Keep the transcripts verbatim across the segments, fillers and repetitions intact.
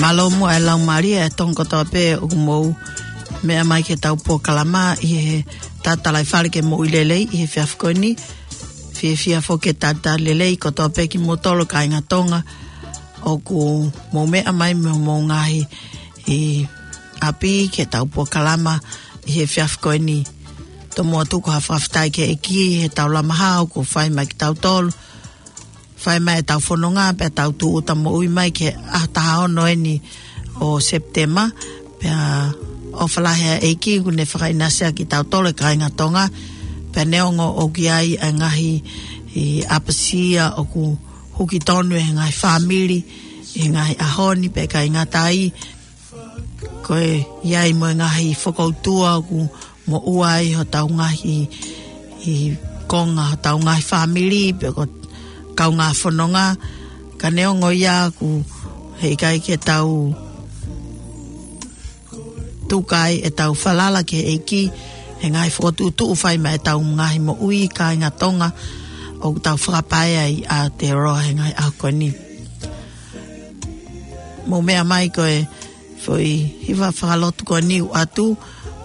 Mālō muʻa e laumālie ʻa e Tonga kotoa pē ʻoku mou meʻa mai ki heʻetau polokalama ʻi he tatalaifale ke mou ʻi lelei ʻi he efiafi ko eni. Fiefia foki ke talitali lelei kotoa pē kimoutolu kāinga Tonga ʻoku mou meʻa mai mei homou ngaahi ʻapi ki heʻetau polokalama ʻi he efiafi ko eni. Tomuʻa tuku ha fakafetaʻi ki he ʻEiki heʻetau lama hao kuo fai mai kiate kitautolu. Fai mai ʻetau fononga pea tau tūʻuta moʻui mai ki he ʻaho taha ono eni ʻo Sepitema. Pea ʻofa lahi ʻa e ʻEiki kuo ne fakaʻinasi ʻaki kitautolu e kāinga Tonga. Pea neongo ʻoku ʻi ai ʻa e ngaahi ʻapasia ʻoku huki tonu ʻe he ngaahi fāmili ʻi he ngaahi ʻaho ni, pea ʻikai ngata ai, ko e ʻi ai mo e ngaahi fokoutua ʻoku moʻua ai hotau ngaahi konga, hotau ngaahi fāmili, pe ko e kaungā fononga. Ka neongo ia ʻoku heʻikai ke tau tuku ai ʻetau falala ki he ʻEiki he ngaahi fokotuʻutuʻu fai mai ʻetau ngaahi moʻui kāinga Tonga ʻoku tau fakapae ai ʻa Aotearoa he ngaahi ʻaho ko eni. Mou meʻa mai ko e foʻi hiva fakalotu ko eni ʻoatu,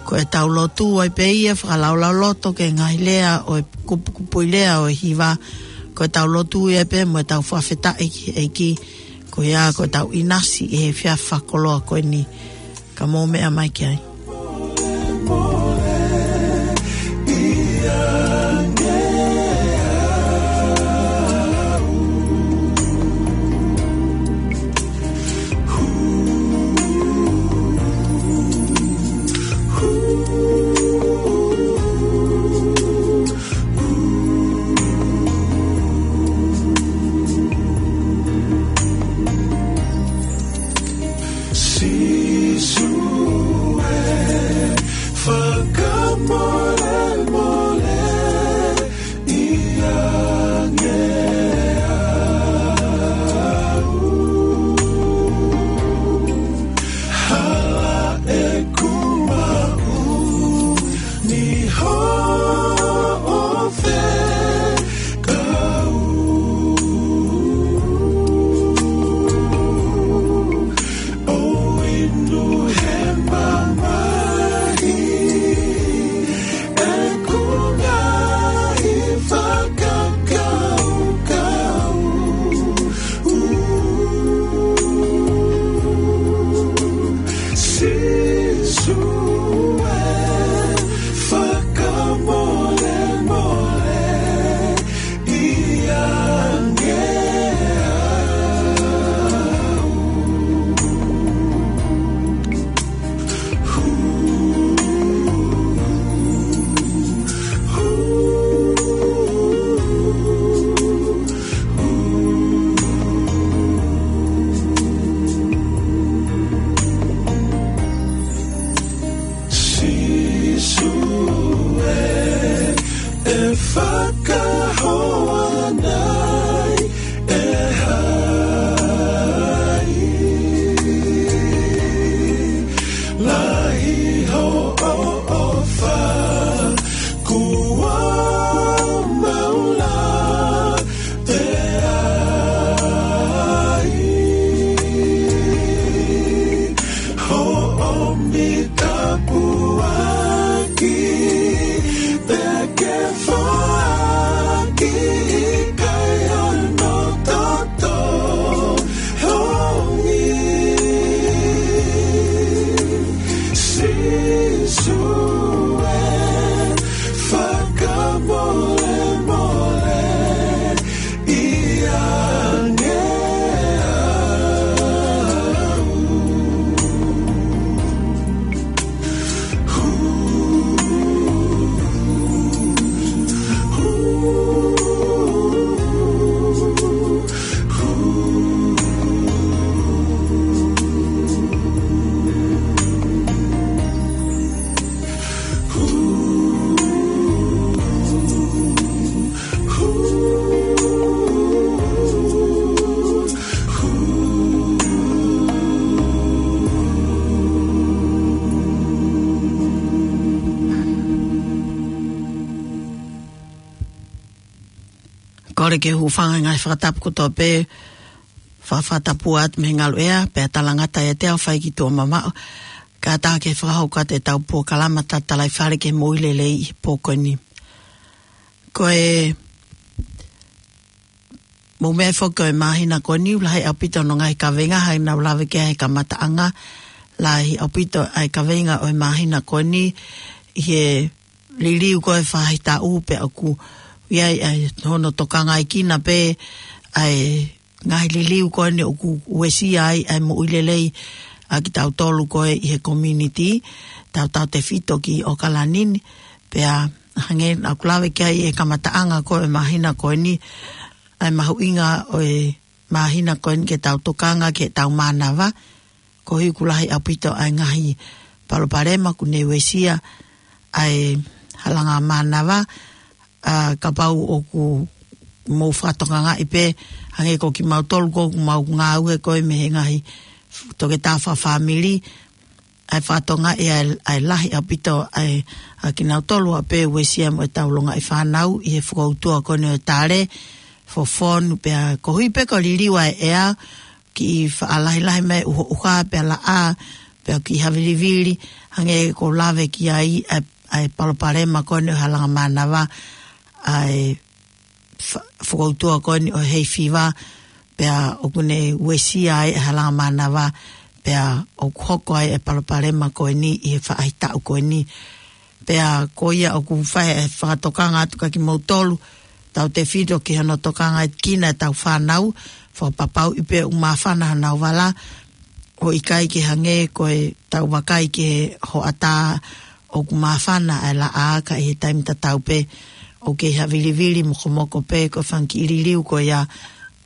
ko ʻetau lotu ai pē ia fakalaulauloto ki he ngaahi lea ʻo e kupukupuʻi lea ʻo e hiva, ko ʻetau lotu ia pē mo ʻetau fakafetaʻi ki he ʻEiki, ko ia ko ʻetau ʻinasi ʻi he efiafi fakakoloa ko eni. Ka mou meʻa mai ki ai. Sīsū ē, fakamolemole ʻiate au. Hala ʻeku maʻu ni hoʻo fekau. ʻO inu he mamahi ʻeku ngaahi fakakaukau. Sīsū ē, fakamolemole ʻiate au. Sīsū ē, ʻe fakahoa nai ʻe hai? Lahi hoʻo ʻofa, kuo mau lave ai. Hoʻo mitapuaki, pea ke foaki ʻikai hano toto hongi. Sīsū ē, fakamolemole ʻiate au. Kole ke hūfanga he ngaahi fakatapu kotoa pē. Fakafatapu atu mei he ngaluʻea, pea talangata ʻiate au fai ki tuʻa mamaʻo. Kātaki fakahoko atu ʻetau polokalama tatalaifale ki he moʻui lelei ʻi he pō ko eni. Ko e mou meʻa foki ko e māhina ko eni, ʻoku lahi ʻaupito hono ngaahi kaveinga, hangē naʻa ku lave ki ai he kamataʻanga, lahi ʻaupito ʻa e kaveinga ʻo e māhina ko eni, ʻi he liliu ko e faʻahitaʻu pea ʻoku ʻi ai ʻa e hono tokangaʻi kina pē ʻa e ngaahi liliu ko eni ʻoku uesia ai ʻa e moʻui lelei ʻa kitautolu ko ē ʻi he community, tautautefito ki ʻAokalani ni, pea hangē naʻa ku lave ki ai he kamataʻanga ko e māhina ko eni, ʻa e mahuʻinga ʻo e māhina ko eni ke tau tokanga ki heʻetau mānava, koeʻuhi ʻoku lahi ʻaupito ʻa e ngaahi palopalema ʻoku ne uesia ʻa e halanga mānava, ʻa, kapau ʻoku mou fakatokangaʻi pē, hangē ko kimautolu ko ē ʻoku mau ngāue ko ē mei he ngaahi toketā fakafāmili, ʻa e fakatokangaʻi ʻa e, ʻa e lahi ʻaupito ʻa e, ʻa kinautolu ʻa pē uesia mo ʻetau longaʻi fānau ʻi he fokoutua ko eni ʻo e tale, fofonu, pea koeʻuhi pē ko e liliu ʻa e ʻea, kiʻi faʻa lahilahi mai ʻuhoʻuha, pea laʻā, pea kiʻi havilivili, hangē ko e lave ki ai ʻa e, ʻa e palopalema ko eni ʻo e halanga mānava, ʻa e fa-, fokoutua ko eni ʻo e hay fever, pea ʻoku ne uesia ai ʻa e halanga mānava, pea ʻoku hoko ai ʻa e palopalema ko eni ʻi he faʻahitaʻu ko eni. Pea ko ia ʻoku fai ʻa e fakatokanga atu kia kimoutolu, tautefito ki hono tokangaʻi kina ʻetau fānau, fakapapauʻi pē ʻoku māfana honau vala, ʻo ʻikai ke hangē ko ʻetau vakai ki he hoʻatā ʻoku māfana ʻa e laʻā ka ʻi he taimi tatau pē ʻoku kei havilivili mokomoko pē ko e fanga kiʻi liliu ko ia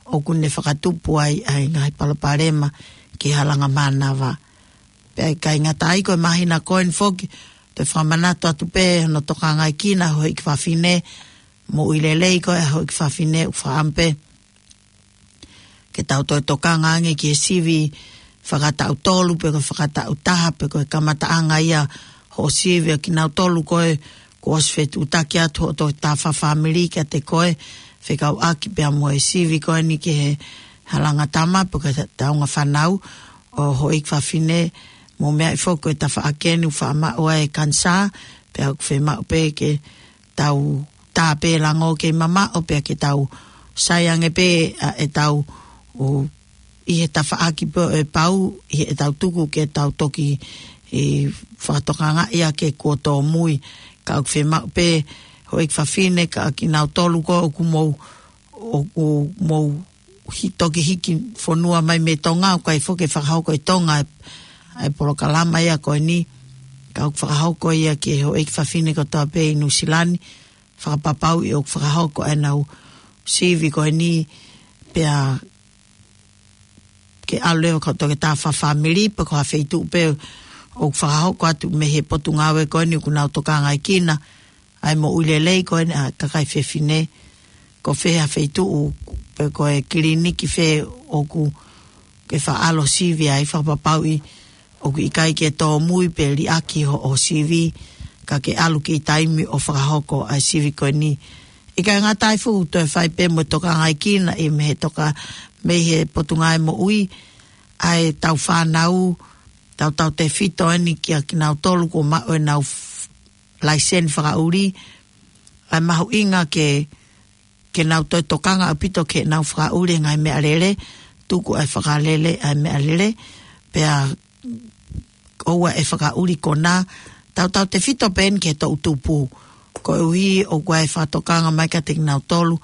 ʻoku ne fakatupu ai ʻa e ngaahi palopalema ki he halanga mānava. Pea ʻikai ngata ai ko e māhina ko eni foki, te u fakamanatu atu pē hono tokangaʻi kina houʻeiki fafine, moʻui lelei ko e houʻeiki fafine ʻoku fakaʻamu pē ke tau toe tokanga ange ki he sivi fakataʻu tolu, pe ko e fakataʻu taha, pe ko e kamataʻanga ia hoʻo sivi ʻa kinautolu ko ē kuo ʻosi fetuʻutaki atu hoʻo toketā fakafāmili kiate koe, fekauʻaki pea mo e sivi ko eni ki he halanga tama, pe ko e taʻunga fānau ʻo houʻeiki fafine, mou meaʻi foki ko e tafaʻaki eni ʻoku faʻa maʻu ai e kanisā, pea ʻoku fiemaʻu pē ke tau tā pē lango kei mamaʻo pea ke tau sai ange pē, ʻa, ʻetau, ʻo, ʻi he tafaʻaki pē ʻe pau, ʻi heʻetau tuku ke tau toki, ʻi, fakatokangaʻi ʻa e kuo tōmui, ka ʻoku fiemaʻu pē houʻeiki fafine, ka kinautolu ko ē ʻoku mou, ʻoku mou hi-, toki hiki fonua mai mei Tonga, ʻoku ʻikai foki ke fakahoko ʻi Tonga ʻa e, ʻa e polokalama ia ko eni, ka ʻoku fakahoko ia ki he houʻeiki fafine kotoa pē ʻi Nuʻusila ni, fakapapauʻi ʻoku fakahoko ʻenau sivi ko eni, pea ke ʻalu leva ki he toketā fakafāmili, pe ko ha feituʻu pē ʻoku fakahoko atu mei he potungāue ko eni ʻoku nau tokangaʻi kina ʻa e moʻui lelei ko eni ʻa e kakai fefine, ko fē ha feituʻu pe ko e kiliniki fē ʻoku ke faʻa ʻalu ʻo sivi ai, fakapapauʻi ʻoku ʻikai ke tōmui pe liʻaki hoʻo sivi, ka ke ʻalu ki taimi ʻo fakahoko ʻa e sivi ko eni. ʻIkai ngata ai foki, toe fai pē mo e tokangaʻi kina ʻi mei he toka, mei he Potungāue Moʻui, ʻa ʻetau fānau, tautautefito eni kia kinautolu kuo maʻu ʻenau f-, laiseni fakaʻuli, ʻa e mahuʻinga ke, ke nau toe tokanga ʻaupito ke nau fakaʻuli e ngaahi meʻalele, tuku ʻa e fakalele ʻa e meʻalele, pea ʻoua ʻe fakaʻuli konā, tautautefito pē eni ki he toʻu tupu. Koeʻuhi ʻoku ʻi ai e fakatokanga mai kiate kinautolu,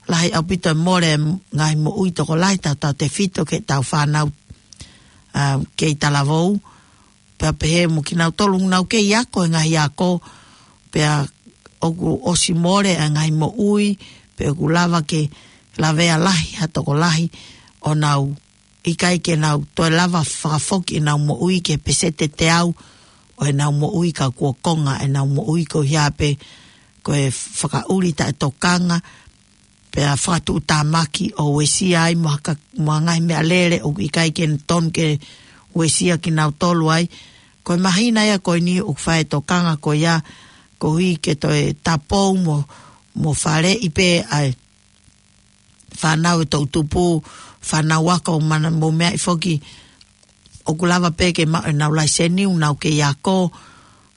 lahi ʻaupito e mole e ngaahi moʻui tokolahi tautautefito ki heʻetau fānau, ʻa, kei talavou, pea pehē mo kinautolu ʻoku nau kei ako he ngaahi ako, pea ʻoku ʻosi mole e ngaahi moʻui, pea ʻoku lava ke lavea lahi ha tokolahi ʻo nau ʻikai ke nau toe lava fakafoki ʻenau moʻui ki he peseti ʻe teau ʻo ʻenau moʻui ka kuo konga ʻenau moʻui koeʻuhi pē ko e fakaʻuli taʻetokanga, pea fakatuʻutāmaki ʻo uesia ai mo ha ka-, mo ha ngaahi meʻalele ʻoku ʻikai ke tonu ke uesia kinautolu ai. Ko e māhina ia ko eni ʻoku fai e tokanga ko ia, koeʻuhi ke toe tapou mo, mo faleʻi pē ʻa e fānau e toʻutupu, fānau ako, mana mo meaʻi foki, ʻoku lava pē ke maʻu ʻenau laiseni, ʻoku nau kei ako,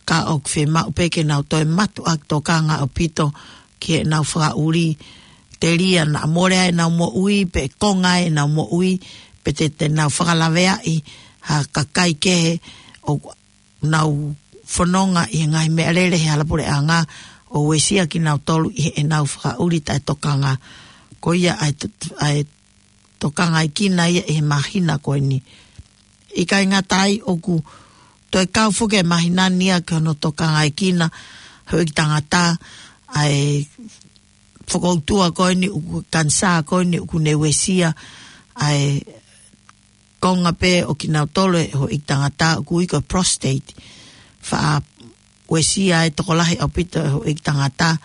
ka ʻoku fiemaʻu pē ke nau toe mātuʻaki tokanga ʻaupito ki heʻenau fakaʻuli, telia naʻa mole ai ʻenau moʻui, pe konga ai ʻenau moʻui, pe te, te nau fakalaveaʻi ha kakai kehe ʻoku nau fononga ʻi he ngaahi meʻalele he hala puleʻanga ʻo uesia kinautolu ʻi heʻenau fakaʻuli taʻetokanga. Ko ia ʻa e to-, ʻa e tokangaʻi kina ia ʻi he māhina ko eni. ʻIkai ngata ai ʻoku toe kau foki e māhina ni ia ki hono tokangaʻi kina houʻeiki tangata ʻa e fokoutua ko eni ʻoku kanisā ko eni ʻoku ne uesia ʻa e konga pē ʻo kinautolu e houʻeiki tangata ʻoku ui ko e prostate. Faʻa uesia e tokolahi ʻaupito e houʻeiki tangata.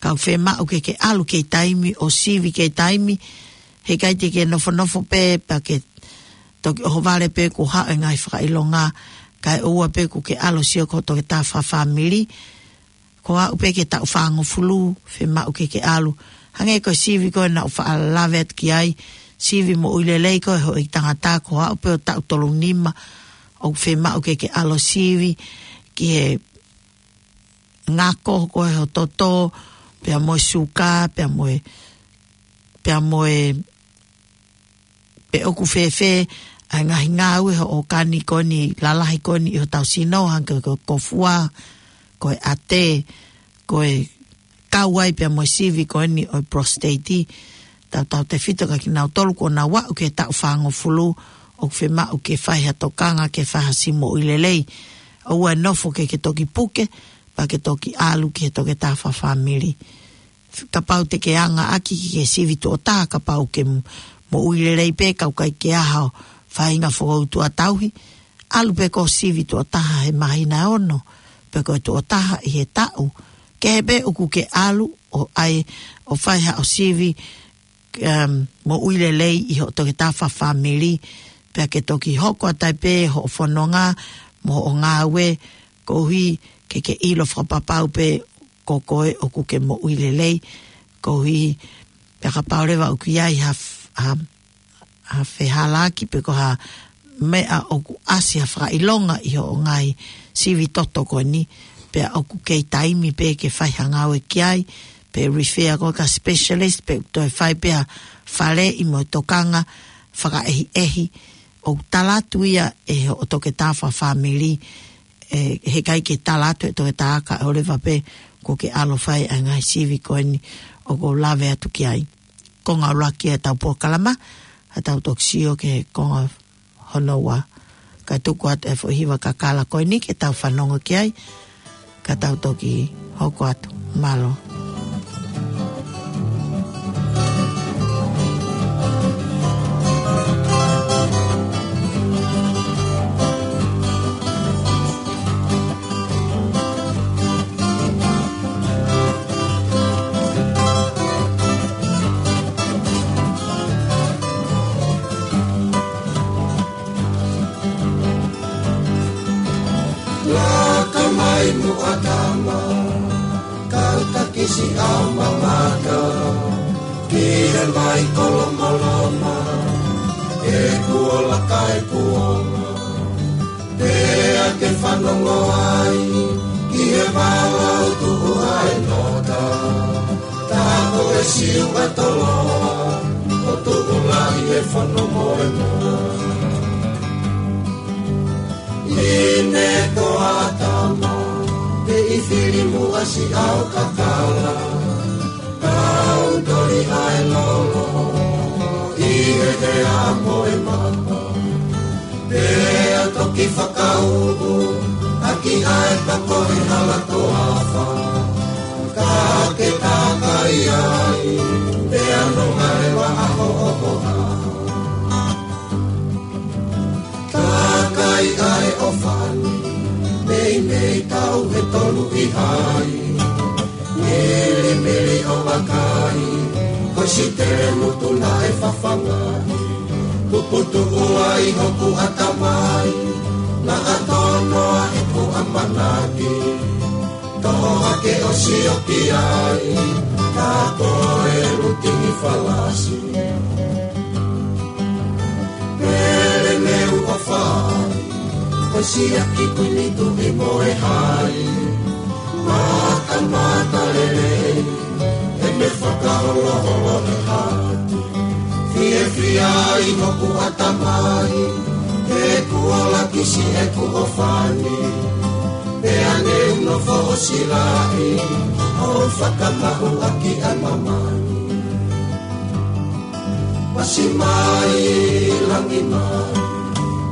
Ka ʻoku fiemaʻu ke ke ʻalu kei taimi ʻo sivi kei taimi. Heʻikai te ke nofonofo pē pea ke toki ʻohovale pē kuo haʻu e ngaahi fakaʻilonga. Kae ʻoua pē kuo ke ʻalu ʻo sio ki ho toketā fakafāmili. Ko e aʻu pē ki he taʻu fāngofulu, fiemaʻu ke ke ʻalu. Hangē ko e sivi ko ē naʻa ku faʻa lave atu ki ai, sivi moʻui lelei ko ē houʻeiki tangata, ko e aʻu pē ʻo taʻu tolunima, ʻoku fiemaʻu ke ke ʻalu ʻo sivi ki he ngako ko ē ho toto, pea mo e suka, pea mo e, pea mo e pe ʻoku fēfē ʻa e ngaahi ngāue hoʻo ʻōkani ko eni lalahi ko eni ʻi hotau sino, hangē ko e kofua, ko e ʻate, ko e kau ai pea mo e sivi ko eni ʻo e prostate. Tautautefito kia kinautolu kuo nau aʻu ki he taʻu fāngofulu, ʻoku fiemaʻu ke fai ha tokanga ke fai ha sivi moʻui lelei. ʻOua ʻe nofo ke ke toki puke, pea ke toki ʻalu ki he toketā fakafāmili. Kapau te ke anga ʻaki ke ke sivi tuʻo taha, kapau ke m-, moʻui lelei pē, ka ʻoku ʻikai ke ʻi ai haʻo faʻahinga fokoutua tauhi, ʻalu pē ko e sivi tuʻo taha he māhina ʻe ono, pe ko e tuʻo taha ʻi he taʻu. Kehe pē ʻoku ke ʻalu ʻo ʻai, ʻo fai haʻo sivi, um, moʻui lelei ʻi hoʻo toketā fakafāmili, pea ke toki hoko atu ai pē hoʻo fononga, mo hoʻo ngāue, koeʻuhi ke ke ʻilo fakapapau pē ko koe ʻoku ke moʻui lelei, koeʻuhi pea kapau leva ʻoku ʻi ai ha f-, ha, ha fehālaaki pe ko ha meʻa ʻoku ʻasi ha fakaʻilonga ʻi hoʻo ngaahi sivi toto ko eni, pea ʻoku kei taimi pē ke fai ha ngāue ki ai, pe refer koe ki ha specialist, pe toe fai pē ha faleʻi mo e tokanga fakaʻehiʻehi, ʻoku tala atu ia ʻe hoʻo toketā fakafāmili, ʻe, heʻikai ke tala atu ʻe he toketā ka ʻoua leva pē kuo ke ʻalu ʻo fai ʻa e ngaahi sivi ko eni ʻoku ou lave atu ki ai. Konga ʻuluaki ʻetau polokalama, ka tau toki sio ki he konga hono ua. Kae tuku atu e foʻi hiva kakala ko eni ke tau fanongo ki ai, ka tau toki hoko atu. Mālō. Laka mai mo ʻAtama, kau takisi ʻa mamata, ki he vai ko Lomoloma, ʻe kuo laka ʻe kuonga. Pea ke fanongo ai, ki he vala ʻoku tuʻu ai e nota, tā ko e Siuʻatoloa, ʻo tuʻu lahi e fono moemoe. ʻI he ko ʻAtama, pea ʻi fili muʻa siʻao kakala, kau toli ʻa e lolo, ʻi he tea mo e mapa. Pea toki fakauʻu, ʻaki ʻa e pako ʻi hala toafa. Ka ke takai ai, pea nonga leva ʻa hoʻo hoa. Takai ʻa e ʻofani, meimei tau ʻe tolu ʻi hai. Milimili ʻo vakai, ko Sitele Mutu naʻe fafangaʻi. Puputuʻu ai hoku ʻatamai, naʻa tono ai hoku ʻamanaki. ʻOa ke ʻosi ʻo ki ai, ka ko e lukingi falasi. Pele meu ʻofa ai, ko siaki kuini tuʻi mo e hai. Matamata lelei, ʻe me fakaholoholo e hati. Fiefia ʻi hoku ʻatamai, he kuo lakisi ʻeku ʻofa ni. Pea ne u nofo ʻo silaʻi, ʻo fakamaʻu ʻaki ʻa māmani. Pasi mai, langi mai,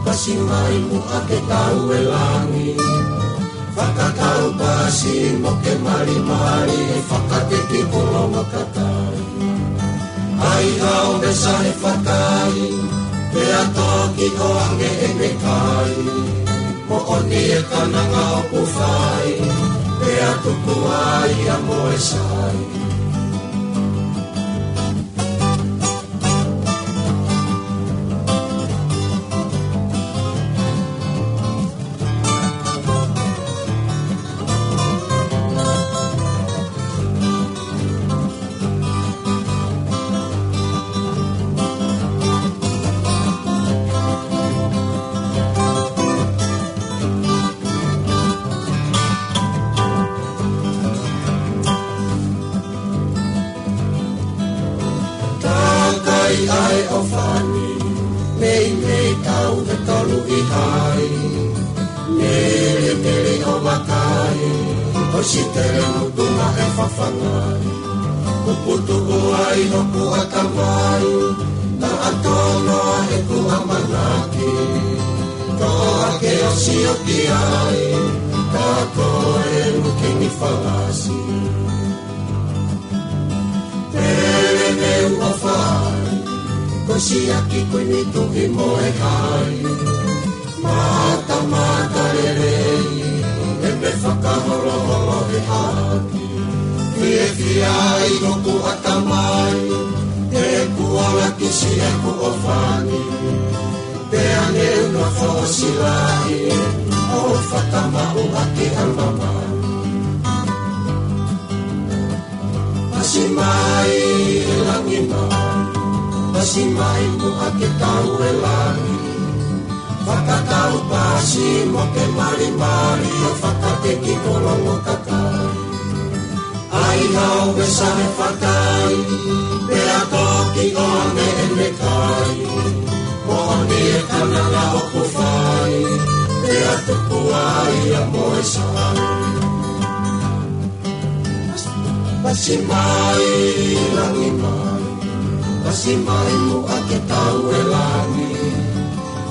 pasi mai muʻa ke tau e langi. Fakatau pasi mo ke malimali, fakateki ko longo kakai. ʻAi hao me sahe fakai, pea toki ʻoange ʻene kai. Moʻoni e kananga ʻoku fai, pea tuku ai ʻa Moesai. Takai ʻa e ʻofa ni, meimei tau he tolu ʻi hai. Mele mele ʻo vakai, ʻosi tele mutu ma e fafangai. Kuputu ʻo ai hoku ʻatamai, na atono ʻeku ʻamanaki. Ko ake ʻosi ʻo ki ai, ka ko e lukingi falasi. Pele meu ʻofa ai, ko siaki kuini tuʻi mo e hai. Matamata lelei, ʻe me fakaholoholo e hati. Fiefia ʻi hoku ʻatamai, he kuo lakisi ʻeku ʻofa ni. Pea ne u nofo ʻo silaʻi, ʻo fakamaʻu ʻaki ʻa māmani. Pasi mai, langi mai, pasi mai muʻa ke tau e langi. Fakatau pasi mo ke malimali, ʻo fakateki ko longo kakai. ʻAi hao me sahe fakai, pea toki ʻoange ʻene kai. Moʻoni e kananga ʻoku fai, pea tuku ai ʻa Moesai. Pasi mai, langi mai, pasi mai muʻa ke tau e langi.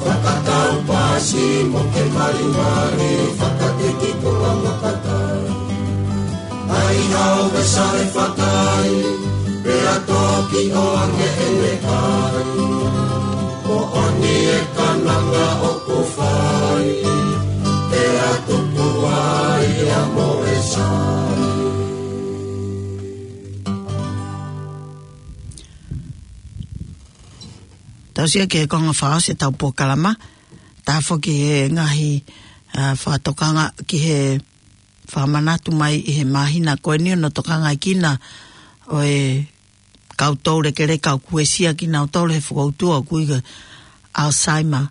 Fakatau pasi mo ke malimali, fakateki ko longo kakai. ʻAi hao me sahe fakai, pea toki ʻoange ʻene kai. Moʻoni e kananga ʻoku fai, pea tuku ai ʻa Moesai. Tau sio ki he konga fakaʻosi ʻetau polokalama, tā foki he ngaahi, ā, fakatokanga ki he fakamanatu mai ʻi he māhina ko eni ʻo hono tokangaʻi kinautolu ʻe he kau toulekeleka ʻoku uesia kinautolu he fokoutua ʻoku ui ko e Alzheimer.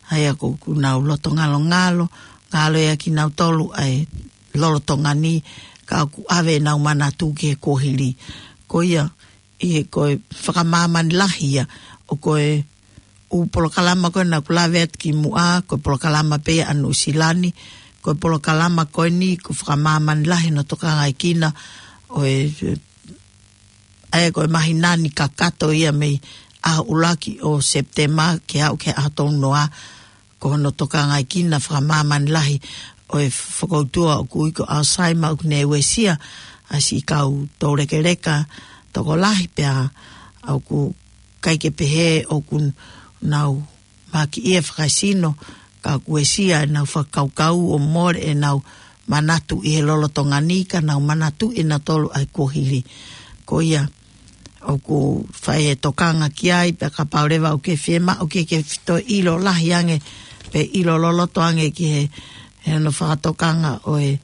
ʻA ia ʻoku nau loto ngalongalo, ngalo ia kinautolu ʻa e lolotonga ni, ka ʻoku ʻave ʻenau manatu ki he kuohili. Ko ia, ʻi he ko e fakamāmani lahi ia, ʻo ko e ʻū polokalama ko ē naʻa ku lave atu ki muʻa, ko e polokalama pē ia ʻa Nuʻusila ni, ko e polokalama ko eni, ko e fakamāmani lahi hono tokangaʻi kinautolu ʻo e, ʻa ia ko e māhina ni kakato ia mei he ʻuluaki ʻo Sepitema ke aʻu ki he ʻaho tolu noa, ko hono tokangaʻi kinautolu fakamāmani lahi ʻo e fokoutua ʻoku ui ko e Alzheimer ʻoku ne uesia ʻa siʻi kau toulekeleka tokolahi pea ʻoku ʻikai ke pehē ʻoku nau maʻu ʻa e fakaesino, ka ʻoku uesia ʻenau fakakaukau ʻo mole ʻenau manatu ʻi he lolotonga ni, ka nau manatu ʻi nautolu ʻa e kuohili. Ko ia, ʻoku fai e tokanga ki ai, pea kapau leva ʻoku ke fiemaʻu ke ke toe ʻilo lahi ange, pe ʻilo loloto ange ki he, he hono fakatokanga ʻo e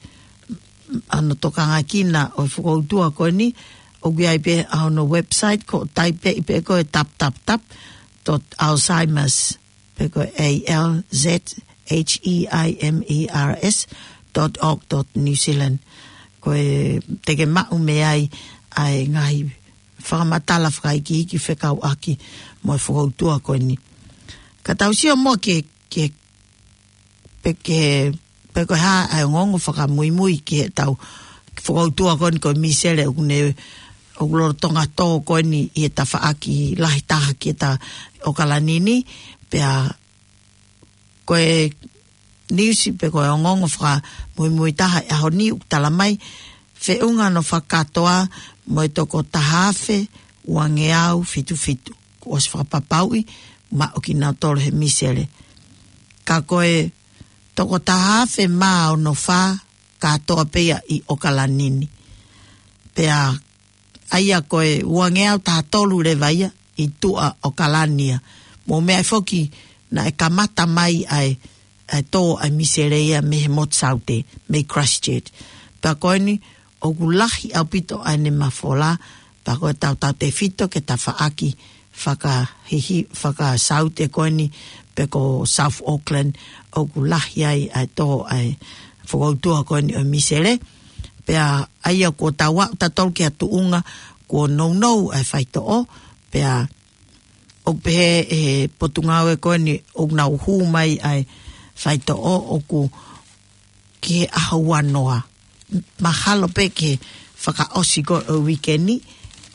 ʻa hono tokangakina ʻo e fokoutua ko eni, ʻoku ʻi ai pē ʻa hono website, ko e taipeʻi pē ko e tap tap tap dot Alzheimer's, pe ko e A L Z H E I M E R S dot org dot New Zealand. Ko e te ke maʻu mei ai ʻa e ngaahi fakamatala fakaikiiki fekauʻaki mo e fokoutua ko eni. Ka tau sio muʻa ki he, ki he, pe ki he, pe ko e hā ʻa e ongoongo fakamuimui ki heʻetau fokoutua ko eni ko e misele ʻoku ne, ʻoku lolotonga tō ko eni ʻi he tafaʻaki lahi taha ki he ta ʻOkalani ni, pea ko e niusi pe ko e ongoongo fakamuimui taha ʻi he ʻaho ni ʻoku tala mai, feʻunga hono fakakātoa mo e toko taha afe uangeau fitu fitu kuo ʻosi fakapapauʻi maʻu kinautolu he misele. Ka ko e toko taha afe mā ono fā kātoa pē ia ʻi ʻOkalani ni. Pea ʻa ia ko e uangeau taha tolu leva ia ʻi tuʻa ʻOkalani ia. Mou meaʻi foki naʻe kamata mai ʻa e, ʻa e tō ʻa e misele ia mei he motu Saute, mei Christchurch. Pea ko eni ʻoku lahi ʻaupito ʻa ʻene mafola, pea ko e tautautefito ki he tafaʻaki fakahihi, fakasaute ko eni pe ko South Auckland, ʻoku lahi ai ʻa e tō ʻa e fokoutua ko eni ʻo e misele. Pea ʻa ia kuo tau aʻu tautolu ki ha tuʻunga kuo nounou ʻa e faitoʻo, pea ʻoku pehē ʻe he potungāue ko eni ʻoku nau hū mai ʻa e faitoʻo ʻoku ki he ʻaho uanoa. Mahalo pē ki he fakaʻosi ko ē ʻo e uike ni,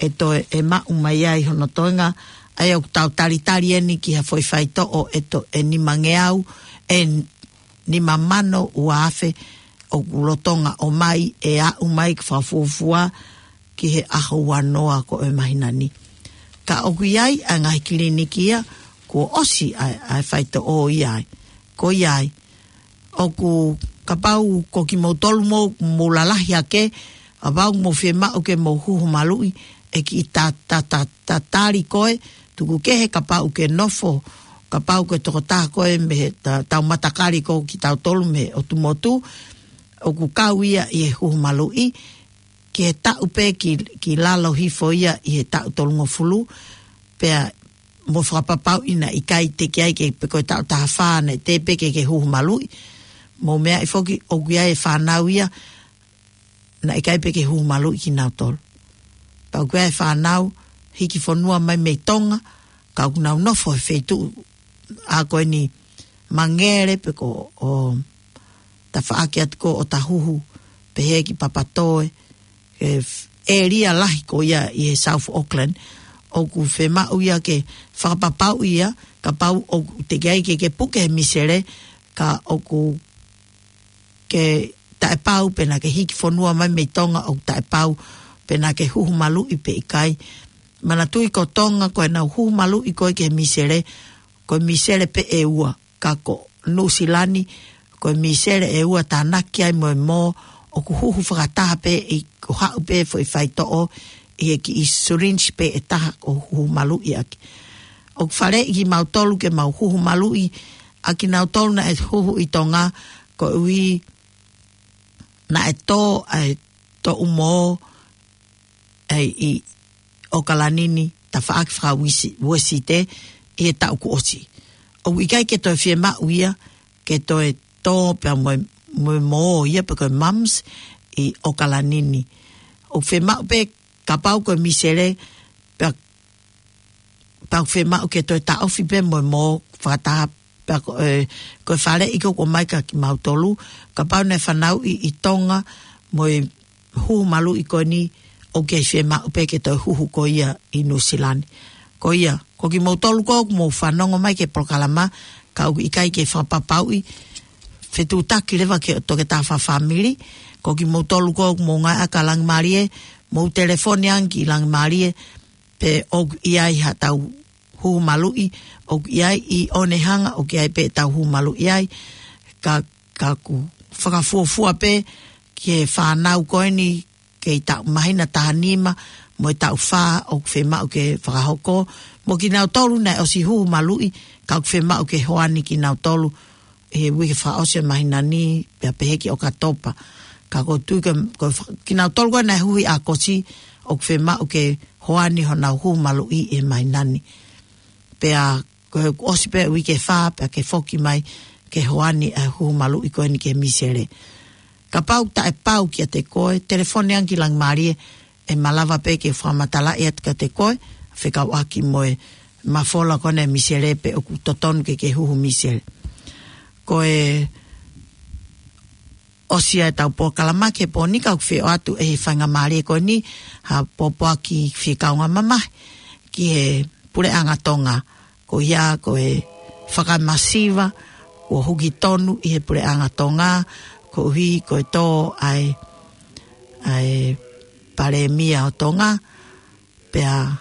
ʻe toe ʻe maʻu mai ai hono toenga, ʻa ia ʻoku tau talitali eni ki ha foʻi faitoʻo ʻe to-, ʻe nimangeau, ʻe nima mano ua afe ʻoku lolotonga ʻomai, ʻe aʻu mai ki he fakafuofua ki he ʻaho uanoa ko ē ʻo e māhina ni. Ka ʻoku ʻi ai ʻa e ngaahi kiliniki ia kuo ʻosi ʻa e, ʻa e faitoʻo ia ai. Ko ia ai, ʻoku kapau ko kimoutolu mou, mou lalahi hake, kapau mou fiemaʻu ke mou huhu maluʻi, ʻe kiʻi ta, ta, ta, tatali koe, tuku kehe kapau ke nofo, kapau ko e tokotaha koe mei he ta, tau matakali ko kitautolu mei he ʻotu motu, ʻoku kau ia ʻi he huhu maluʻi, ki he taʻu pē ki, ki lalo hifo ia ʻi he taʻu tolungofulu, pea mou fakapapauʻi naʻe ʻikai teʻeki ai ke pe ko e taʻu taha fā naʻe teʻeki pē ke ke huhu maluʻi. Mou meaʻi foki ʻoku ʻi ai e fānau ia, naʻe ʻikai pē ke huhu maluʻi kinautolu. Pea ʻoku ʻi ai e fānau hiki fonua mai mei Tonga, ka ʻoku nau nofo he feituʻu ʻa ko eni Mangere pe ko ʻo tafaʻaki atu ko ʻo Tahuhu, pehē ki Papatoe, he f-, ʻēlia lahi ko ia ʻi he South Auckland, ʻoku fiemaʻu ia ke fakapapauʻi ia, kapau ʻoku teʻeki ai ke ke puke he misele, ka ʻoku ke taʻepau pe naʻa ke hiki fonua mai mei Tonga ʻoku taʻepau pe naʻa ke huhu maluʻi pe ʻikai. Manatuʻi ko Tonga ko ʻenau huhu maluʻi ko ē ki he misele, ko e misele pē ʻe ua, ka ko Nuʻusila ni, ko e misele ʻe ua tānaki ai mo e mō, ʻoku huhu fakataha pē ʻi, ʻo haʻu pē foʻi faitoʻo ʻi he kiʻi syringe pē ʻe taha ʻo huhu maluʻi ʻaki. ʻOku faleʻi kimautolu ke mau huhu maluʻi ʻa kinautolu naʻe huhu ʻi Tonga, koeʻuhi naʻe tō ʻa e toʻu mō ʻa ē ʻi ʻOkalani ni, tafaʻaki faka-Uēsi-, Uēsite ʻi he taʻu kuo ʻosi. ʻOku ʻikai ke toe fiemaʻu ia ke toe tō pea mo e, mo e mō ia pe ko e mumps ʻi ʻOkalani ni. ʻOku fiemaʻu pē kapau ko e misele, pea, pea ʻoku fiemaʻu ke toe taʻofi pē mo e mō fakataha, pea ko, ē, ko e faleʻi ko ē ʻoku ʻomai kia kimautolu, kapau naʻe fanauʻi ʻi Tonga mo e huhu maluʻi ko eni, ʻoku kei fiemaʻu pē ke toe huhu ko ia ʻi Nuʻusila ni. Ko ia, ko kimoutolu ko ē ʻoku mou fanongo mai ki he polokalama, ka ʻoku ʻikai ke fakapapauʻi, fetuʻutaki leva ki he toketā fakafāmili, ko kimoutolu ko ē ʻoku mou ngāueʻaki ʻa Langimālie, mou telefoni ange ki Langimālie, pe ʻoku ʻi ai haʻatau huhu maluʻi, ʻoku ʻi ai ʻi ʻOnehunga, ʻoku ʻi ai pē ʻetau huhu maluʻi ai, ka, ka ʻoku fakafuofua pē ki he fānau ko eni kei taʻu māhina taha nima mo e taʻu fā ʻoku fiemaʻu ke fakahoko, mo kinautolu naʻe ʻosi huhu maluʻi, ka ʻoku fiemaʻu ke hoani kinautolu he uike fakaʻosi ʻo e māhina ni, pea pehē ki ʻOkatopa. Ka ʻoku ou tui ko e, ko e fa-, kinautolu ko ē naʻe huhu ʻi ʻAokosi, ʻoku fiemaʻu ke hoani honau huhu maluʻi ʻi māmani. Pea ko e ʻosi pē uike ʻe fā, pea ke foki mai ke hoani ʻa e huhu maluʻi ko eni ki he misele. Kapau taʻepau kiate koe, telefoni ange ki Langimālie, ʻe malava pē ke fakamatalaʻi atu kiate koe, fekauʻaki mo e mafola ko eni ʻa e misele pe ʻoku totonu ke ke huhu misele. Ko e ʻosi ia ʻetau polokalama ki he pō ni, ka ʻoku fie ʻoatu ʻe he faingamālie ko eni ha pōpoaki fie kaungā mamahi ki he puleʻanga Tonga. Ko ia ko e fakamasiva kuo huki tonu ʻi he puleʻanga Tonga, koeʻuhi ko e tō ʻa e, ʻa e palēmia ʻo Tonga, pea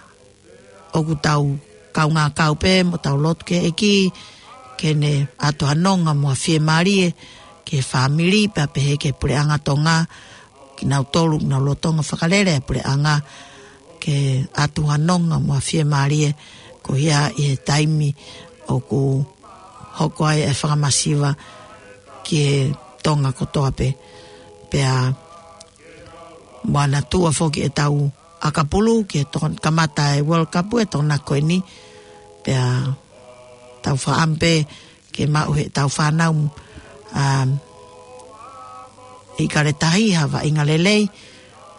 ʻoku tau kaungā kau pē mo tau lotu ki he ʻEiki, ke ne ʻatu ha nonga mo ha fiemālie ki he fāmili, pea pehē ki he puleʻanga Tonga, kinautolu, nau lolotonga fakalele ʻa e puleʻanga, ke ʻatu ha nonga mo ha fiemālie, ko ia ʻi he taimi ʻoku hoko ai e fakamasiva ki he Tonga kotoa pē. Pea mo ana tua foki ʻetau ʻakapulu ki he tokon-, kamata e World Cup ʻe tokona ko eni. Pea tau faʻam pē ke maʻu heʻetau fānau, um, ʻIkale Tahi ha vaʻinga lelei,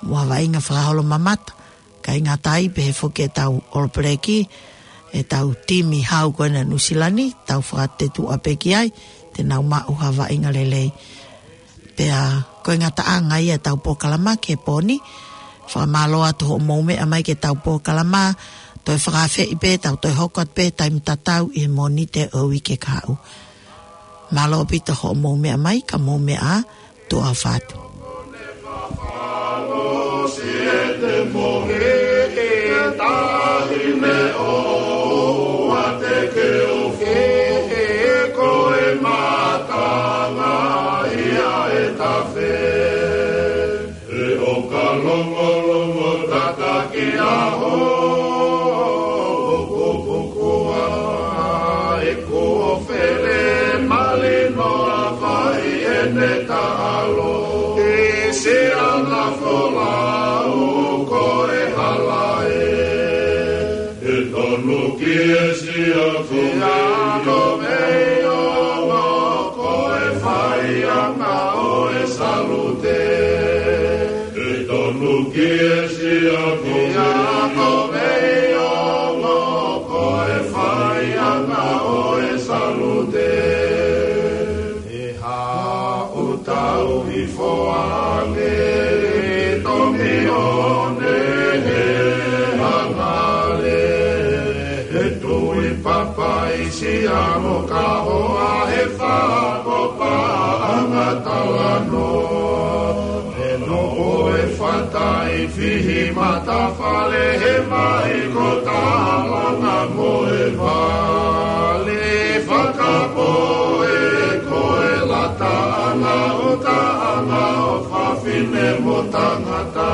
mo ha vaʻinga fakaholomamata, kae ʻikai ngata ai pē he foki ʻetau All Black, ʻetau timi hau ko ena Nuʻusila ni, tau fakatetuʻa pē ki ai, te nau maʻu ha vaʻinga lelei. Pea ko e ngataʻanga ia ʻetau polokalama ki he pō ni. Fakamālō atu hoʻomou meʻa mai ki heʻetau polokalama, toe fakaafeʻi pē, tau toe hoko atu pē taimi tatau ʻi he Mōnite ʻo e uike kahaʻu. Mālō ʻaupito hoʻomou meʻa mai, ka mou meʻa ā, tuʻa ʻofa atu. He ʻoka longolongo tataki ʻaho, pukupuku ʻa e kuo fele malino a fai ʻene taʻalo. ʻI siana folau ko e hala ē. ʻE tonu ki he siaku mei ongo ko e faiʻanga ʻo e salute. ʻE tonu ki he siaku mei ongo ko e faiʻanga ʻo e salute. ʻE haʻu tau hifo ange ʻi tomione he hangale. He tui papaisi ano kahoa he fako paʻanga talanoa. He noʻo e fatai fihi matafale he mai ko talanga mo e vale. Fakapoʻe ko e lataʻanga ʻo taʻanga ʻo fafine mo tangata.